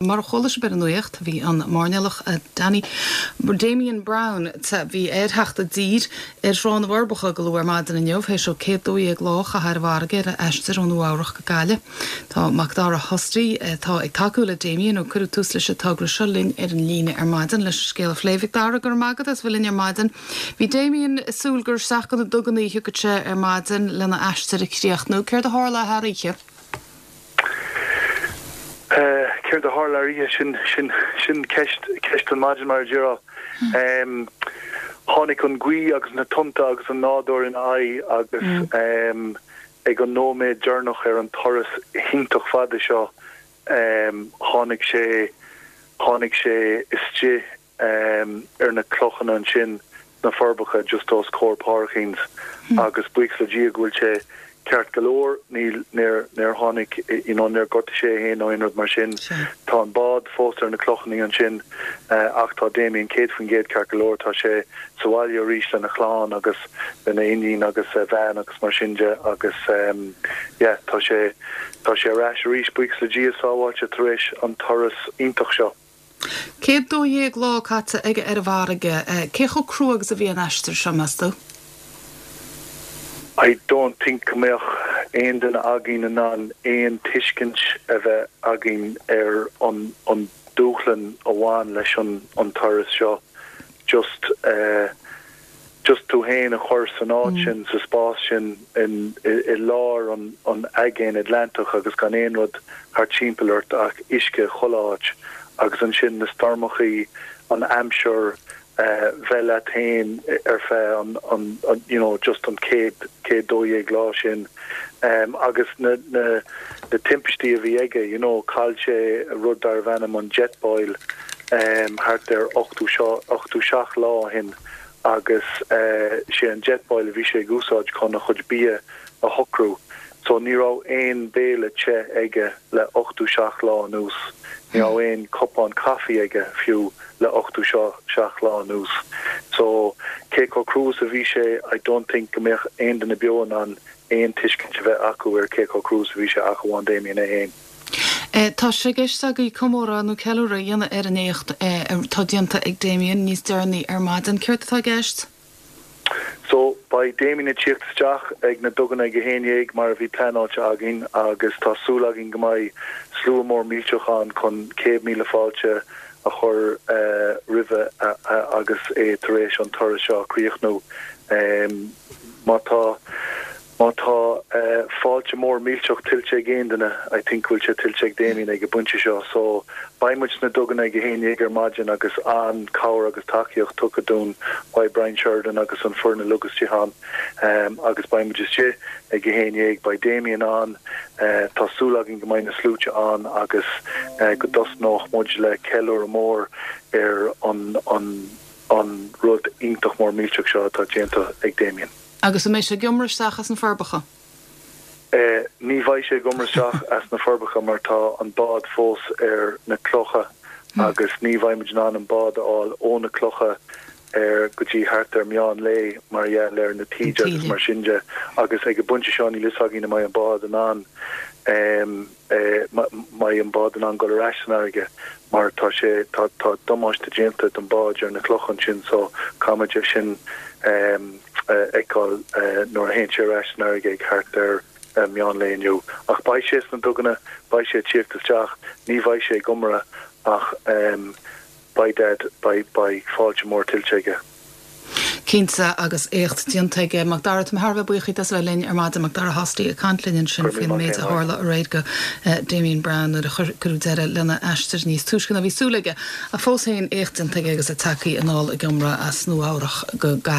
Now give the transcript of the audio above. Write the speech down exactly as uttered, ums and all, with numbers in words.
Mar a chuala sibh ar an nuacht, bhí an mairnéalach Danny Damien Brown bhí ar theacht i dtír ar Thrá na bhForbacha go luath ar maidin inniu, théis dó céad dó dhéag lá a chaitheamh ar an bhfarraige ar a aistear ó Nua Eabhrach go Gaillimh. Tá Macdara Hosty atá ag tacú le Damien ó cuireadh tús leis an togra seo linn ar an líne ar maidin leis an scéal a phlé. A Mhacdara, go raibh maith agat as bheith linn ar maidin. Bhí Damien ag súil gur isteach go na duganna a thiocfadh sé ar maidin lena aistear a chríochnú. Céard a tharla thar oíche? Céard a tharla thar oíche sin sin sin ceist ceist an maidin mar a déarfá. Um, tháinig an ghaoth agus na tonnta agus an nádúr ina aghaidh agus um, ag an nóiméad deireanach ar an turas iontach fada seo um, tháinig sé tháinig sé istigh um, ar na clochanna ansin na Forbacha just os comhair Páircíns mm. agus buíochas le Dia go bhfuil sé ceart go leor níl níor níor tháinig you know níor ghortaigh sé féin nó aon rud mar sin tá an bád fós ar na clochanna ansin uh, ach tá Damien céad faoin gcéad ceart go leor tá sé sa bhaile arís lena chlann agus lena iníon agus a bhean agus mar sin de agus um, yeah, tá sé tá sé ar ais arís buíochas le Dia sábháilte tar éis an turas iontach seo. Céad dó dhéag lá caite aige ar an bhfarraige, cé chomh crua agus a bhí an aistear seo meas tú? I don't think go mbeadh aon duine againn in ann aon tuiscint a bheith againn ar an an dúshlán a bhain leis an an turas seo just uh, just tú féin a chur san áit mm. sin sa spás sin in i, i lár an an aigéan Atlantach agus gan aon rud thar timpeall ort ach uisce chuile áit agus ansin na stoirmeacha an aimsir uh, bheith leat féin ar feadh an, an, an you know just an céad céad dó dhéag lá sin um, agus na na na timpistí a bhí aige you know chaill sé rud darbh ainm an Jetboil um, thart ar ochtó ochtó seacht lá ó shin agus uh, sé an Jetboil a bhí sé ag úsáid chun a chuid bia a shocrú so ní raibh aon béile te aige le ochtó seacht lá anuas ní raibh aon cupán caife aige fiú le ochtó seacht lá anuas so cé chomh crua a bhí sé I don't think go mbeadh aon duine beo in ann aon tuiscint a bheith acu ar cé chomh crua a bhí sé ach amháin Damien é féin. E, tá sé i gceist agaibh comóradh nó ceiliúradh a dhéanamh ar an éacht atá déanta ag Damien níos deireanaí ar maidin céard atá i gceist? So beidh Damien ag tíocht isteach ag na duganna ag a haon déag mar a bhí pleanáilte againn agus tá súil againn go mbeidh slua mór millteach ann chun céad míle fáilte a chur uh, roimhe uh, uh, agus é tar éis an turas seo críochnú um, má tá má tá uh, fáilte mór millteach tuillte ag aon duine I think bhfuil sé tuillte ag Damien ag an bpointe seo so beidh muid sna duganna ag a haon déag ar maidin agus an cabhair agus tacaíocht tugtha dúinn by Brian Sheridan agus an foireann uilig ann um, agus beidh muid istigh ag a haon déag beidh Damien ann uh, tá súil againn go mbeidh na sluaite ann agus uh, go dtosnóidh muid le ceiliúradh mór ar an an an rud iontach mór millteach seo atá déanta ag Damien. Agus an mbeidh sé ag iomramh isteach as na Forbacha? Uh, ní bheidh sé ag iomramh isteach as na Forbacha mar tá an bád fós ar na clocha hmm. agus ní bheidh muid in ann an bád a fháil ó na clocha ar go dtí thart ar meán lae mar gheall ar na taoide agus mar sin de agus ag an bpointe seo níl a fhios againn an mbeidh an bád in ann um, eh, mbeidh an bád in ann dul ar ais san fharraige mar tá sé tá tá damáiste déanta don bád ar na clocha sin so caithfimid é sin um, fheiceáil uh, nuair a théann sé ar ais san fharraige ag thart ar uh, meán lae inniu. Ach beidh sé sna duganna beidh sé ag tíocht isteach, ní bheidh sé ag iomramh ach um, beidh beidh beidh fáilte mór tuillte aige. Cinnte agus éacht déanta aige Macdara tá thar buíoch as bheith linn ar maidin Macdara Hosty ag caint linn ansin faoin méid a tharla aréir go uh, Damien Brown nuair a cuireadh deireadh lena aistear níos túisce ná bhí súil aige a fós féin éacht déanta aige agus é tagtha anall ag iomramh as Nua Eabhrach go Gaillimh.